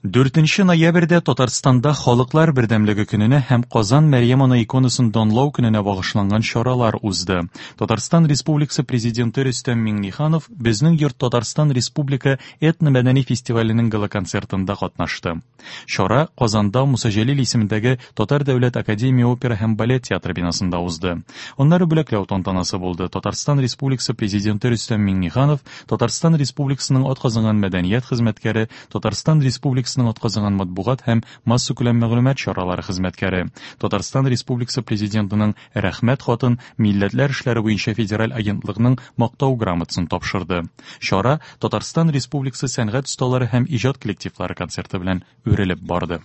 4 ноябрьдә Татарстанда Халыклар бердәмлеге көненә һәм Казан Мәрьям Ана иконасын данлау көненә багышланган чаралар узды. Татарстан Республикасы Президенты Рөстәм Миңнеханов Безнең йорт Татарстан Республика этномәдәни фестиваленең гала-концертында катнашты. Чара Казанда Муса Җәлил исемендәге Татар дәүләт академия опера һәм балет театры бинасында узды. Аннары бүләкләү тантанасы булды. Татарстан Республикасы Президенты Рөстәм Миңнеханов Татарстан Республикасының атказанган мәдәният хезмәткәре, Татарстан Республикасының атказанган матбугат һәм массакүләм мәгълүмат чаралары хезмәткәре, Татарстан Республикасы Президентының Рәхмәт хатын, Милләтләр эшләре буенча федераль агентлыкның Мактау грамотасын тапшырды. Чара Татарстан Республикасы сәнгать осталары һәм иҗат коллективлары концерты белән үрелеп барды.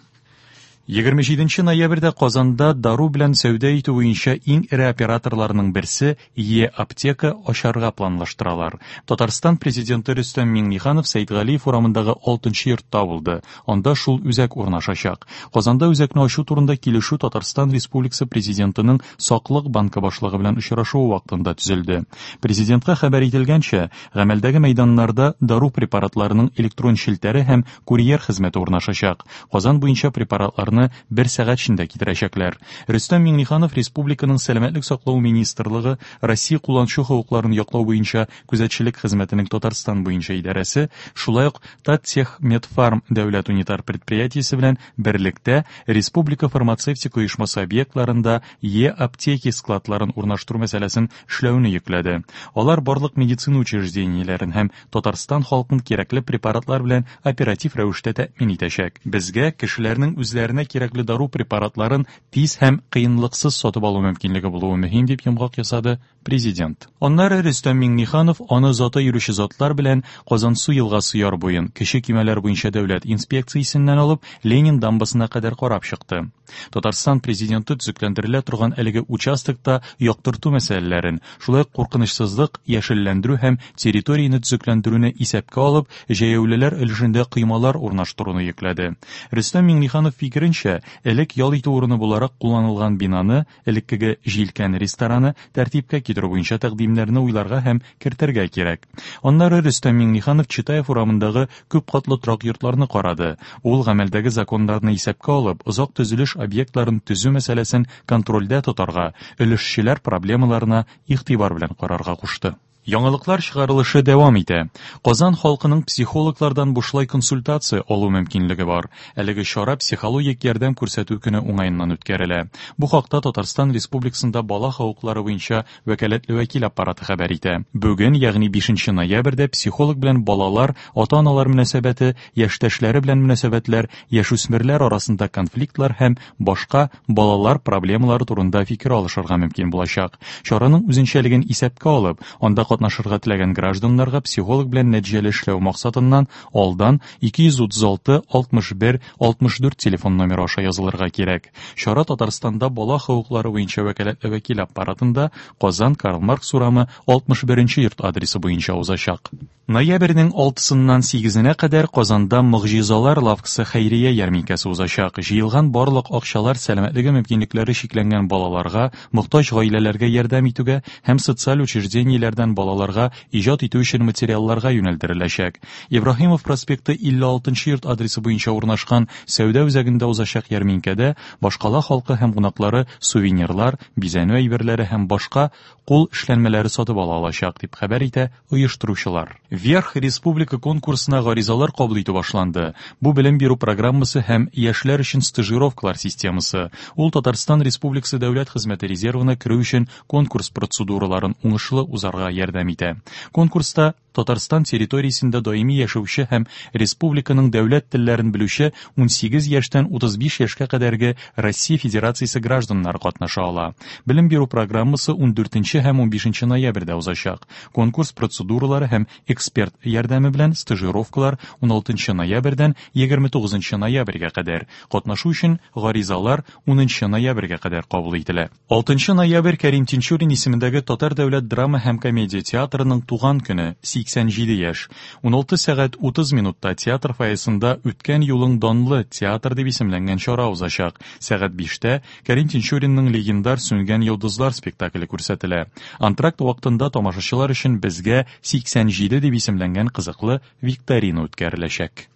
27 ноябрьдә Казанда дару белән сәүдә итү буенча иң эре операторларның берсе Е-аптека ачарга планлаштыралар. Татарстан Президенты Рөстәм Миңнеханов Сәйдгалиев урамындагы 6 йортта булды. Анда шул үзәк урнашачак. Казанда үзәкне ачу турында килешү Татарстан Республикасы Президентының Саклык банкы башлыгы белән очрашуы вакытында төзелде. Президентка хәбәр ителгәнчә, гамәлдәге мәйданнарда дару препаратларының электрон челтәре һәм курьер хезмәте урнашачак. Казан буенча препаратларны бер сәгать эчендә китерәчәкләр. Рөстәм Миңнеханов республиканың Сәламәтлек саклау министрлыгы, Россия кулланучы хокукларын яклау буенча күзәтчелек хезмәтенең Татарстан буенча идарәсе, шулай ук Таттехмедфарм дәүләт унитар предприятиесе белән берлектә республика фармацевтика оешмасы объектларында Е-аптеки складларын урнаштыру мәсьәләсен эшләүне йөкләде. Алар барлык медицина учреждениеләрен һәм Татарстан халкын кирәкле препаратлар белән оператив рәвештә тәэмин итәчәк. Безгә кешеләрнең үзләренә кирәкле дару препаратларын тиз һәм кыенлыксыз сатып алу мөмкинлеге булуы мөһим, дип йомгак ясады Президент. Аннары Рөстәм Миңнеханов аны озата йөрүче затлар белән Казансу елгасы яр буен, кече көймәләр буенча дәүләт инспекциясеннән алып Ленин дамбасына кадәр карап чыкты. Татарстан Президенты төзекләндерелә торган әлеге участокта яктырту мәсьәләләрен, шулай ук куркынычсызлык, яшелләндерү һәм территорияне төзекләндерүне исәпкә алып, җәяүлеләр өлешендә коймалар урнаштыруны йөкләде. Рөстәм Миңнеханов фикеренчә, элек ял итү урыны буларак кулланылган бинаны, элеккеге Җилкән рестораны, тәртипкә китерү буенча тәкъдимнәрне уйларга һәм кертергә кирәк. Аннары Рөстәм Миңнеханов Читаев урамындагы күп катлы торак йортларны карады. Ул гамәлдәге законнарны исәпкә алып, озак төзелеш объектларын төзү мәсьәләсен контрольдә тотарга, өлешчеләр проблемаларына игътибар белән карарга кушты. Яңалыклар чыгарылышы дәвам итә. Казан халкының психологлардан бушлай консультация алу мөмкинлеге бар. Әлеге чара психологик ярдәм күрсәтү көне уңаеннан үткәрелә. Бу хакта Татарстан Республикасында бала хокуклары буенча Вәкаләтле вәкил аппараты хәбәр итә. Бүген, ягъни 5 ноябрьдә психолог белән балалар, ата-аналар мөнәсәбәте, яшьтәшләре белән мөнәсәбәтләр, яшүсмерләр арасында конфликтлар һәм башка балалар проблемалары турында фикер алышырга мөмкин булачак. Чараның үзенчәлеген исәпкә алып, анда катнашырга теләгән гражданнарга психолог белән нәтиҗәле эшләү максатыннан алдан 236 61 64 телефон номеры аша язылырга кирәк. Чара Татарстанда бала хокуклары буенча вәкаләтле вәкил аппаратында Казан Карл Маркс урамы 61 нче йорт адресы буенча узачак. Ноябрьнең 6-сыннан 8-енә кадәр Казанда Могҗизалар лавкасы хәйрия ярминкәсе узачак. Җыелган барлык акчалар сәламәтлеге мөмкинлекләре чикләнгән балаларга, мохтаҗ гаиләләргә ярдәм итүгә һәм социаль учреждениеләрдән балаларга иҗат итү өчен материалларга юнәлдереләчәк. Ибраһимов проспекты 56 нчы йорт адресы буенча урнашкан сәүдә үзәгендә узачак ярминкәдә башкала халкы һәм кунаклары сувенирлар, бизәнү әйберләре һәм башка кул эшләнмәләре сатып ала алачак, дип хәбәр итә оештыручылар. Вверх республика конкурсына гаризалар кабул итү башланды. Бу белем бирү программасы һәм яшьләр өчен стажировкалар системасы. Ул Татарстан Республикасы Дәүләт хезмәте резервына керү өчен конкурс процедураларын уңышлы узарга ярдәм итә. Конкурста Татарстан территориясендә даими яшәүче һәм республиканың дәүләт телләрен белүче 18 яшьтән 35 яшькә кадәрге Россия Федерациясе гражданнары катнаша ала. Белем бирү программасы 14 һәм 15 ноябрьдә узачак. Конкурс процедуралары һәм эксперт ярдәме белән стажировкалар 16 ноябрьдән 29 ноябрьгә кадәр. Катнашу өчен гаризалар 10 ноябрьгә кадәр кабул ителә. 6 ноябрь Кәрим Тинчурин исемендәге Татар дәүләт драма һәм комедия театрының туган көне, 87 яшь. 16 сәгать 30 минутта театр фойесында Үткән юлың данлы театр дип исемләнгән чара узачак. Сәгать 5тә Кәрим Тинчуринның легендар Сүнгән йолдызлар спектакле күрсәтелә. Антракт вакытында тамашачылар өчен Безгә 87 дип исемләнгән кызыклы викторина үткәреләчәк.